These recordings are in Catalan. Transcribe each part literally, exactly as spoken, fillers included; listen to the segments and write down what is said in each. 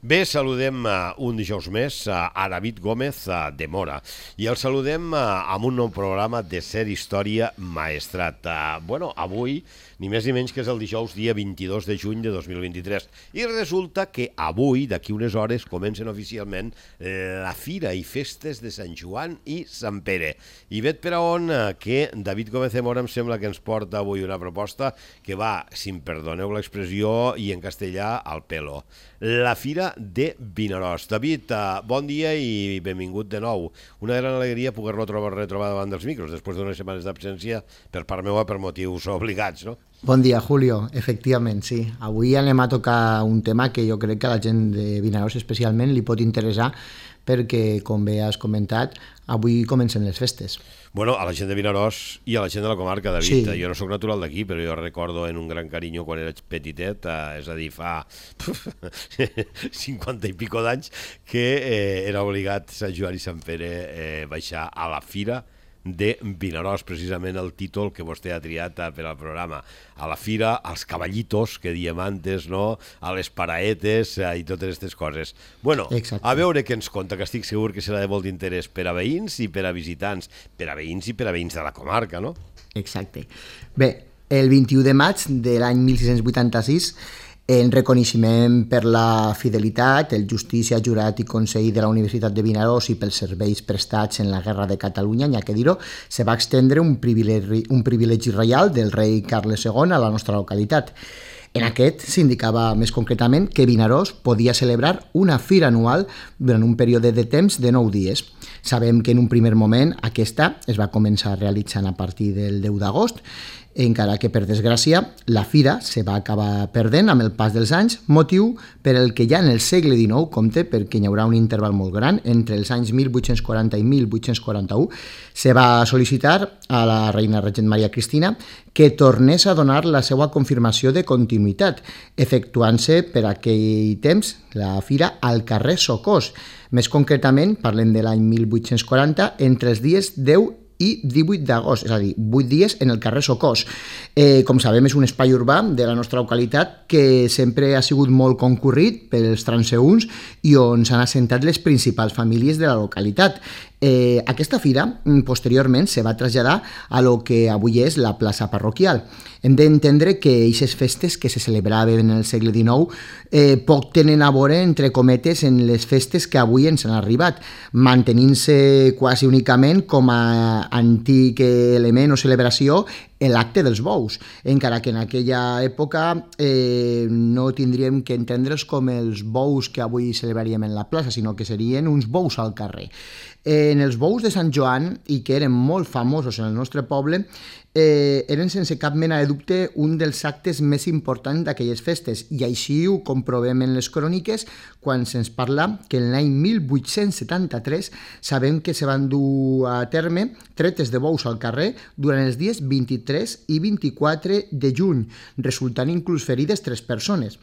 Bé, saludem uh, un dijous més uh, a David Gómez uh, de Mora i el saludem uh, amb un nou programa de Ser Història Maestrat. Uh, bueno, avui ni més ni menys que és el dijous dia vint-i-dos de juny de dos mil vint-i-tres i resulta que avui, d'aquí unes hores, comencen oficialment la Fira i Festes de Sant Joan i Sant Pere. I vet per a on uh, que David Gómez de Mora em sembla que ens porta avui una proposta que va, si em perdoneu l'expressió i en castellà, al pelo. La Fira de Vinaròs. David, uh, bon dia i benvingut de nou. Una gran alegria poder-lo trobar retrobar davant dels micros després d'unes setmanes d'absència per part meva per motius obligats, no? Bon dia, Julio. Efectivament, sí. Avui anem a tocar un tema que jo crec que a la gent de Vinaròs especialment li pot interessar perquè, com bé has comentat, avui comencen les festes. Bueno, a la gent de Vinaròs i a la gent de la comarca, David. Sí. Jo no sóc natural d'aquí, però jo recordo en un gran carinyo quan era petitet, eh, és a dir, fa cinquanta i pico d'anys, que eh, era obligat Sant Joan i Sant Pere eh, baixar a la Fira de Vinaròs, precisament el títol que vostè ha triat per al programa. A la fira, als cavallitos, que diem antes, no? A les paraetes eh, i totes aquestes coses. Bueno, Exacte. A veure què ens conta, que estic segur que serà de molt d'interès per a veïns i per a visitants, per a veïns i per a veïns de la comarca, no? Exacte. Bé, el vint-i-u de maig de l'any mil sis-cents vuitanta-sis, en reconeixement per la fidelitat, el justícia, jurat i consell de la Universitat de Vinaròs i pels serveis prestats en la Guerra de Catalunya, n'hi ha que dir-ho, se va extendre un privilegi, un privilegi reial del rei Carles segon a la nostra localitat. En aquest s'indicava més concretament que Vinaròs podia celebrar una fira anual durant un període de temps de nou dies. Sabem que en un primer moment aquesta es va començar realitzant a partir del deu d'agost, encara que, per desgràcia, la fira se va acabar perdent amb el pas dels anys, motiu per el que ja en el segle dinou, compte perquè hi haurà un interval molt gran, entre els anys mil vuit-cents quaranta i mil vuit-cents quaranta-u, se va sol·licitar a la reina regent Maria Cristina que tornés a donar la seva confirmació de continuïtat, efectuant-se per aquell temps la fira al carrer Socors. Més concretament, parlem de l'any mil vuit-cents quaranta, entre els dies deu i divuit d'agost, és a dir, vuit dies en el carrer Socors. Eh, com sabem, és un espai urbà de la nostra localitat que sempre ha sigut molt concurrit pels transeünts i on s'han assentat les principals famílies de la localitat. Eh, aquesta fira, posteriorment, se va traslladar a lo que avui és la plaça parroquial. Hem d'entendre que aquestes festes que se celebraven en el segle dinou eh, poc tenen a veure, entre cometes, en les festes que avui ens han arribat, mantenint-se quasi únicament com a antic element o celebració l'acte dels bous, encara que en aquella època eh, no tindríem que entendre'ls com els bous que avui celebraríem en la plaça, sinó que serien uns bous al carrer. Eh, en els bous de Sant Joan, i que eren molt famosos en el nostre poble, eh, eren sense cap mena de dubte un dels actes més importants d'aquelles festes, i així ho comprovem en les cròniques quan se'ns parla que en l'any mil vuit-cents setanta-tres sabem que se van dur a terme tretes de bous al carrer durant els dies vint-i-tres i vint-i-quatre de juny, resultant inclús ferides tres persones.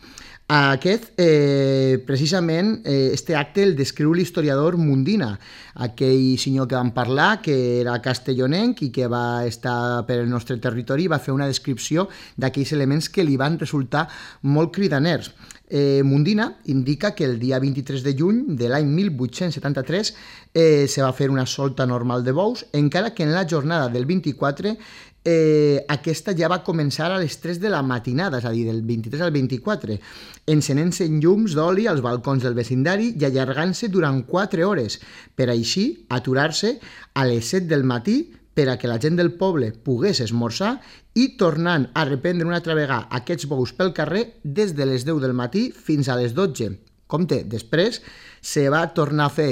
Aquest, eh, precisament, eh, este acte el descriu l'historiador Mundina, aquell senyor que vam parlar, que era castellonenc i que va estar per el nostre territori i va fer una descripció d'aquells elements que li van resultar molt cridaners. Eh, Mundina indica que el dia vint-i-tres de juny de l'any mil vuit-cents setanta-tres eh, se va fer una solta normal de bous, encara que en la jornada del vint-i-quatre Eh, aquesta ja va començar a les tres de la matinada, és a dir, del vint-i-tres al vint-i-quatre, encenent-se llums d'oli als balcons del vecindari i allargant-se durant quatre hores, per així aturar-se a les set del matí per a que la gent del poble pogués esmorzar i tornant a reprendre una altra vegada aquests bous pel carrer des de les deu del matí fins a les dotze. Compte, després se va tornar a fer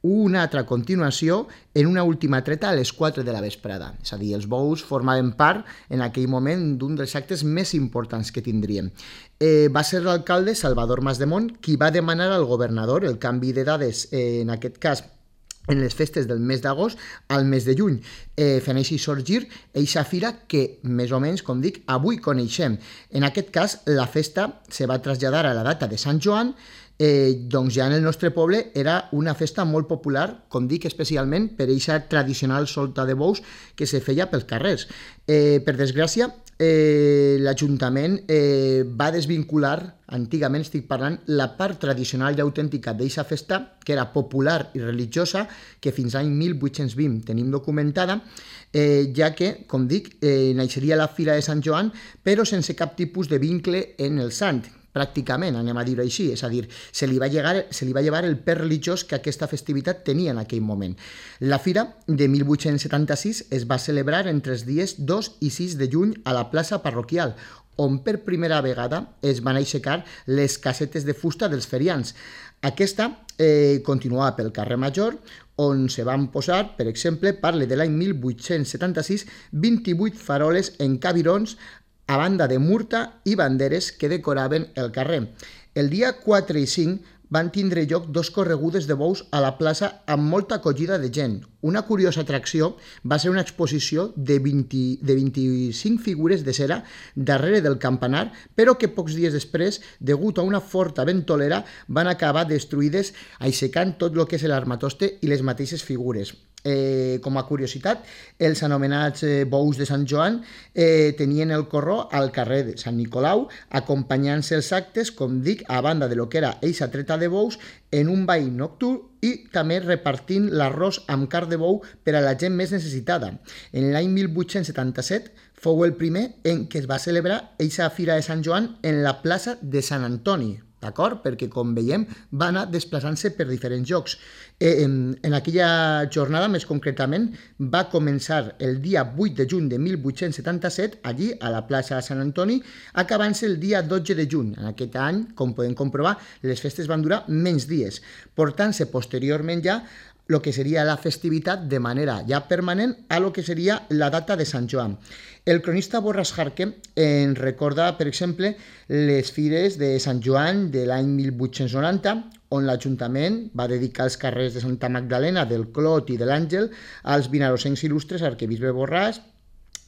una altra continuació en una última treta a les quatre de la vesprada. És a dir, els bous formaven part en aquell moment d'un dels actes més importants que tindríem. Eh, va ser l'alcalde Salvador Masdemont qui va demanar al governador el canvi de dades, eh, en aquest cas en les festes del mes d'agost al mes de juny, eh, fent així sorgir eixa fira que, més o menys, com dic, avui coneixem. En aquest cas, la festa se va traslladar a la data de Sant Joan, eh, doncs ja en el nostre poble era una festa molt popular, com dic, especialment per eixa tradicional solta de bous que se feia pels carrers. Eh, per desgràcia, eh, l'Ajuntament eh, va desvincular, antigament estic parlant, la part tradicional i autèntica d'eixa festa, que era popular i religiosa, que fins l'any mil vuit-cents vint tenim documentada, eh, ja que, com dic, eh, naixeria la Fira de Sant Joan, però sense cap tipus de vincle en el sant, pràcticament, anem a dir-ho així, és a dir, se li va llegar, se li va llevar el pes religiós que aquesta festivitat tenia en aquell moment. La fira de mil vuit-cents setanta-sis es va celebrar entre els dies dos i sis de juny a la plaça parroquial, on per primera vegada es van aixecar les casetes de fusta dels ferians. Aquesta eh, continuava pel carrer Major, on se van posar, per exemple, parle de l'any mil vuit-cents setanta-sis, vint-i-vuit faroles en cabirons a banda de murta i banderes que decoraven el carrer. El dia quatre i cinc van tindre lloc dos corregudes de bous a la plaça amb molta acollida de gent. Una curiosa atracció va ser una exposició de, vint, de vint-i-cinc figures de cera darrere del campanar, però que pocs dies després, degut a una forta ventolera, van acabar destruïdes aixecant tot el que és l'armatoste i les mateixes figures. Eh, com a curiositat, els anomenats eh, bous de Sant Joan eh, tenien el corró al carrer de Sant Nicolau, acompanyant-se els actes, com dic, a banda de lo que era eixa treta de bous, en un ball nocturn i també repartint l'arròs amb carn de bou per a la gent més necessitada. En l'any mil vuit-cents setanta-set fou el primer en què es va celebrar eixa Fira de Sant Joan en la plaça de Sant Antoni, d'acord? Perquè, com veiem, va anar desplaçant-se per diferents llocs. Eh, en, en aquella jornada, més concretament, va començar el dia vuit de juny de mil vuit-cents setanta-set, allí, a la plaça de Sant Antoni, acabant-se el dia dotze de juny. En aquest any, com podem comprovar, les festes van durar menys dies, portant-se posteriorment ja el que seria la festivitat de manera ja permanent a lo que seria la data de Sant Joan. El cronista Borràs Jarque en recorda, per exemple, les fires de Sant Joan de l'any mil vuit-cents noranta, on l'Ajuntament va dedicar els carrers de Santa Magdalena, del Clot i de l'Àngel als vinarosencs il·lustres arquebisbe Borràs,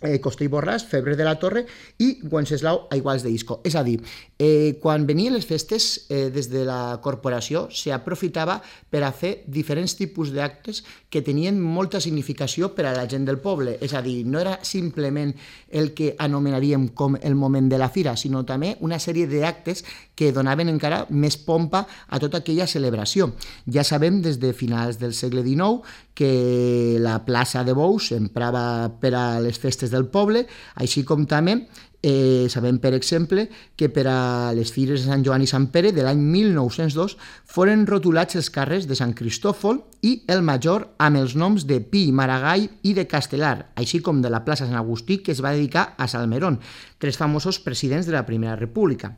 Eh, Coster i Borràs, Febre de la Torre i Wenceslau Aiguals de Isco. És a dir, eh, quan venien les festes eh, des de la corporació s'aprofitava per a fer diferents tipus d'actes que tenien molta significació per a la gent del poble. És a dir, no era simplement el que anomenaríem com el moment de la fira, sinó també una sèrie d'actes que donaven encara més pompa a tota aquella celebració. Ja sabem des de finals del segle dinou que la plaça de Bous s'emprava per a les festes del poble, així com també eh, sabem, per exemple, que per a les fires de Sant Joan i Sant Pere de l'any mil nou-cents dos foren rotulats els carrers de Sant Cristòfol i el Major amb els noms de Pi, Maragall i de Castelar, així com de la plaça Sant Agustí, que es va dedicar a Salmerón, tres famosos presidents de la Primera República.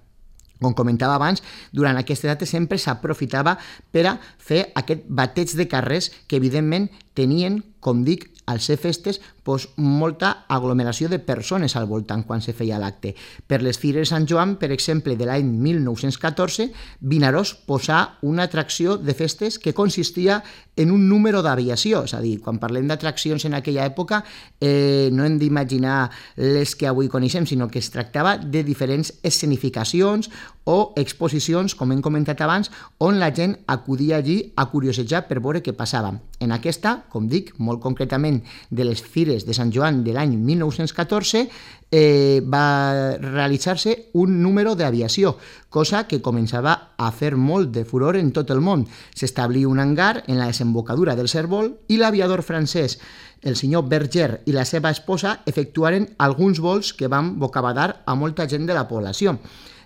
Com comentava abans, durant aquesta data sempre s'aprofitava per a fer aquest bateig de carrers que, evidentment, tenien, com dic, al ser festes, doncs, molta aglomeració de persones al voltant quan se feia l'acte. Per les fires de Sant Joan, per exemple, de l'any mil nou-cents catorze, Vinaròs posà una atracció de festes que consistia en un número d'aviació, és a dir, quan parlem d'atraccions en aquella època, eh, no hem d'imaginar les que avui coneixem, sinó que es tractava de diferents escenificacions o exposicions, com hem comentat abans, on la gent acudia allí a curiosejar per veure què passava. En aquesta, com dic, molt concretament de les fires de Sant Joan de l'any mil nou-cents catorze, eh, va realitzar-se un número d'aviació, cosa que començava a fer molt de furor en tot el món. S'establí un hangar en la desembocadura del Cérvol i l'aviador francès, el senyor Berger i la seva esposa, efectuaren alguns vols que van bocabadar a molta gent de la població.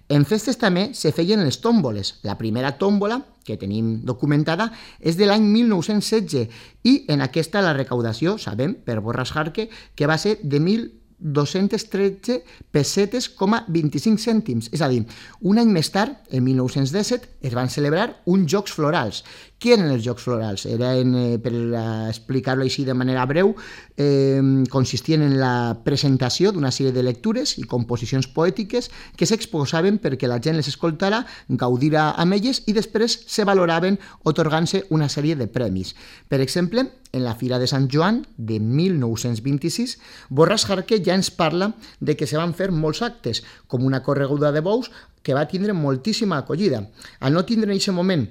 En festes també se feien les tòmboles. La primera tòmbola, que tenim documentada, és de l'any mil nou-cents setze i en aquesta la recaudació, sabem, per Borràs Jarque, que va ser de mil dos-cents tretze pessetes coma vint-i-cinc cèntims. És a dir, un any més tard, en mil nou-cents disset, es van celebrar uns Jocs Florals. Què eren els Jocs Florals? Eren, eh, per explicar-ho així de manera breu, eh, consistien en la presentació d'una sèrie de lectures i composicions poètiques que s'exposaven perquè la gent les escoltara, gaudira amb elles i després se valoraven otorgant-se una sèrie de premis. Per exemple, en la Fira de Sant Joan de mil nou-cents vint-i-sis, Borràs Jarque ja ens parla de que se van fer molts actes, com una correguda de bous que va tindre moltíssima acollida. Al no tindre en aquest moment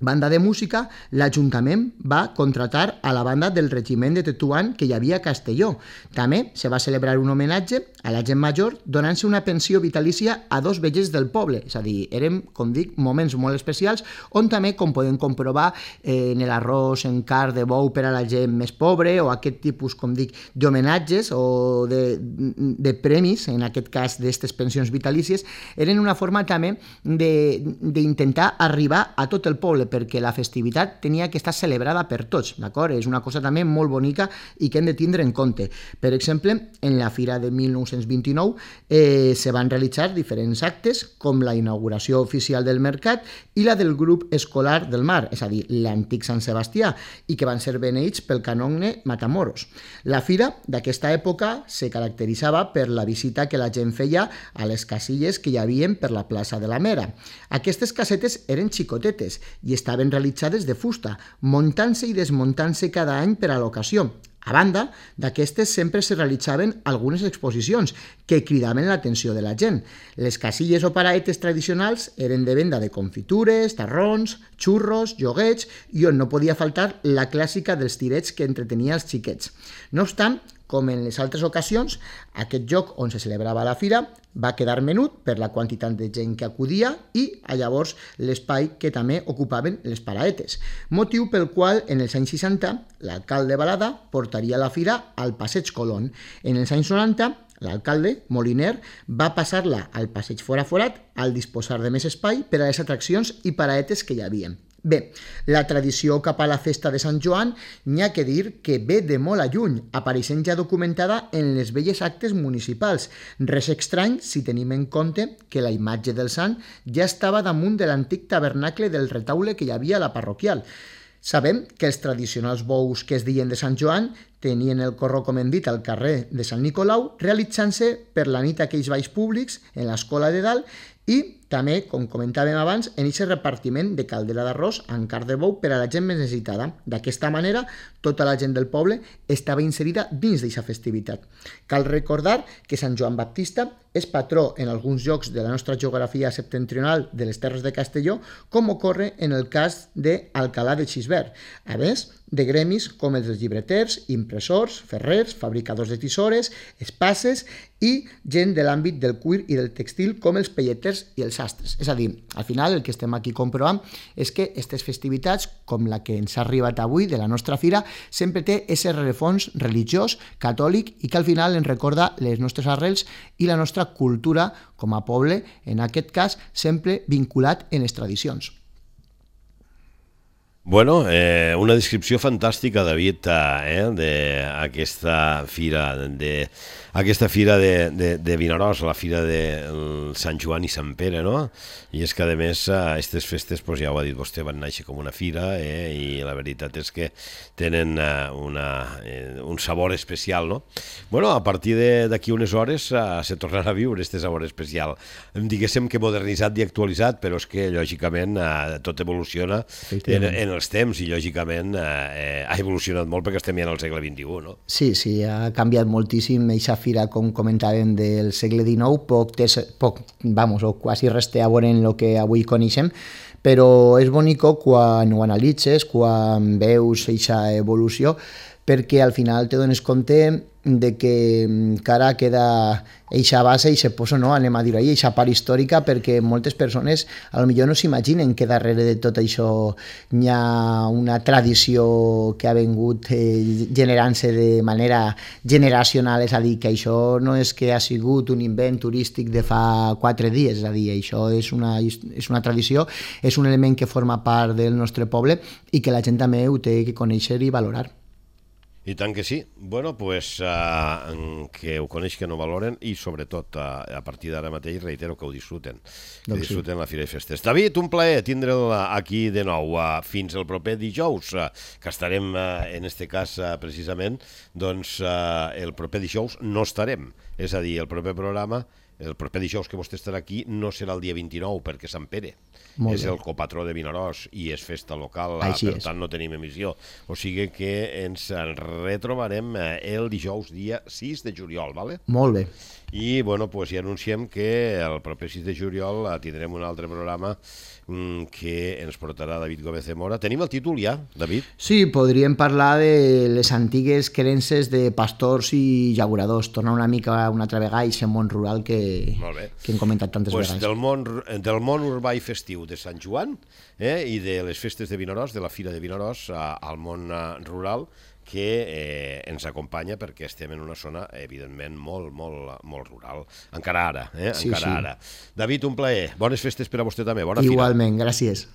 banda de música, l'Ajuntament va contratar a la banda del regiment de Tetuan que hi havia a Castelló. També se va celebrar un homenatge a la gent major donant-se una pensió vitalícia a dos vellers del poble. És a dir, eren, com dic, moments molt especials on també, com podem comprovar, eh, en l'arròs en carn de bou per a la gent més pobre o aquest tipus, com dic, d'homenatges o de, de premis, en aquest cas d'aquestes pensions vitalícies, eren una forma també d'intentar arribar a tot el poble, perquè la festivitat tenia que estar celebrada per tots, d'acord? És una cosa també molt bonica i que hem de tindre en compte. Per exemple, en la Fira de mil nou-cents vint-i-nou eh, se van realitzar diferents actes, com la inauguració oficial del mercat i la del grup escolar del mar, és a dir, l'antic Sant Sebastià, i que van ser beneïts pel canonge Matamoros. La fira d'aquesta època se caracteritzava per la visita que la gent feia a les casilles que hi havia per la plaça de la Mera. Aquestes casetes eren xicotetes i estaven realitzades de fusta, muntant-se i desmuntant-se cada any per a l'ocasió. A banda d'aquestes sempre se realitzaven algunes exposicions que cridaven l'atenció de la gent. Les casilles o paraetes tradicionals eren de venda de confitures, tarrons, xurros, joguets i on no podia faltar la clàssica dels tirets que entretenia els xiquets. No obstant, com en les altres ocasions, aquest lloc on se celebrava la fira va quedar menut per la quantitat de gent que acudia i llavors l'espai que també ocupaven les paraetes, motiu pel qual en els anys seixanta l'alcalde Balada portaria la fira al Passeig Colón. En els anys noranta l'alcalde, Moliner, va passar-la al Passeig Foraforat al disposar de més espai per a les atraccions i paraetes que hi havia. Bé, la tradició cap a la festa de Sant Joan n'hi ha que dir que ve de molt a lluny, apareixent ja documentada en les velles actes municipals. Res estrany si tenim en compte que la imatge del sant ja estava damunt de l'antic tabernacle del retaule que hi havia a la parroquial. Sabem que els tradicionals bous que es deien de Sant Joan tenien el corró, com hem dit, al carrer de Sant Nicolau, realitzant-se per la nit aquells balls públics en l'escola de dalt i també, com comentàvem abans, en aquest repartiment de caldera d'arròs amb carn de bou per a la gent més necessitada. D'aquesta manera, tota la gent del poble estava inserida dins d'aquesta festivitat. Cal recordar que Sant Joan Baptista és patró en alguns llocs de la nostra geografia septentrional de les Terres de Castelló, com ocorre en el cas d'Alcalà de Xisbert, a més de gremis com els dels llibreters, impressors, ferrers, fabricadors de tisores, espasses i gent de l'àmbit del cuir i del textil com els pelleters i els sastres. És a dir, al final el que estem aquí comprovant és que aquestes festivitats, com la que ens ha arribat avui de la nostra fira, sempre té aquest rerefons religiós, catòlic i que al final ens recorda les nostres arrels i la nostra cultura com a poble, en aquest cas sempre vinculat en les tradicions. Bueno, eh, una descripció fantàstica, David, eh, d'aquesta fira, de, aquesta fira de, de, de Vinaròs, la fira de Sant Joan i Sant Pere, no? I és que, a més, aquestes festes, doncs, ja ho ha dit vostè, van néixer com una fira, eh, i la veritat és que tenen eh, una, eh, un sabor especial, no? Bueno, a partir d'aquí unes hores eh, se tornarà a viure este sabor especial. Diguéssim que modernitzat i actualitzat, però és que, lògicament, eh, tot evoluciona en, en els temps i, lògicament, eh, ha evolucionat molt perquè estem ja en el segle vint-i-u, no? Sí, sí, ha canviat moltíssim. Eixa fira, com comentàvem, del segle dinou, poc, tes, poc vamos, o quasi res té a veure en el que avui coneixem, però és bonico quan ho analitzes, quan veus eixa evolució, perquè al final te dones compte de que encara queda eixa base i se posa, no, anem a dir-ho ahir, eixa part històrica, perquè moltes persones a lo millor no s'imaginen que darrere de tot això hi ha una tradició que ha vengut eh, generant-se de manera generacional, és a dir, que això no és que ha sigut un invent turístic de fa quatre dies, és a dir, això és una, és una tradició, és un element que forma part del nostre poble i que la gent també ho té que conèixer i valorar. I tant que sí. Bueno, pues, uh, que ho coneix, que no valoren i, sobretot, uh, a partir d'ara mateix, reitero que ho disfruten. Que doncs disfruten sí. La Fira i Festes. David, un plaer tindre'l aquí de nou. Uh, fins el proper dijous, uh, que estarem, uh, en este cas, uh, precisament, doncs uh, el proper dijous no estarem. És a dir, el proper programa, el proper dijous que vostè estarà aquí, no serà el dia vint-i-nou, perquè Sant Pere Molt és bé. El copatró de Vinaròs i és festa local, Així per és. Tant no tenim emissió. O sigui que ens retrobarem el dijous dia sis de juliol, vale? Molt bé. i bueno, pues, ja anunciem que el proper sis de juliol tindrem un altre programa que ens portarà David Gómez de Mora. Tenim el títol ja, David? Sí, podríem parlar de les antigues creences de pastors i llauradors, tornar una mica una altra vegada a aquest món rural que, que hem comentat tantes pues vegades. Del món, del món urbà i festiu de Sant Joan eh, i de les festes de Vinaròs, de la Fira de Vinaròs al món rural, que eh, ens acompanya perquè estem en una zona, evidentment, molt, molt, molt rural. Encara ara, eh? Sí, Encara sí. ara. David, un plaer. Bones festes per a vostè també. Bona fira. Igualment, gràcies.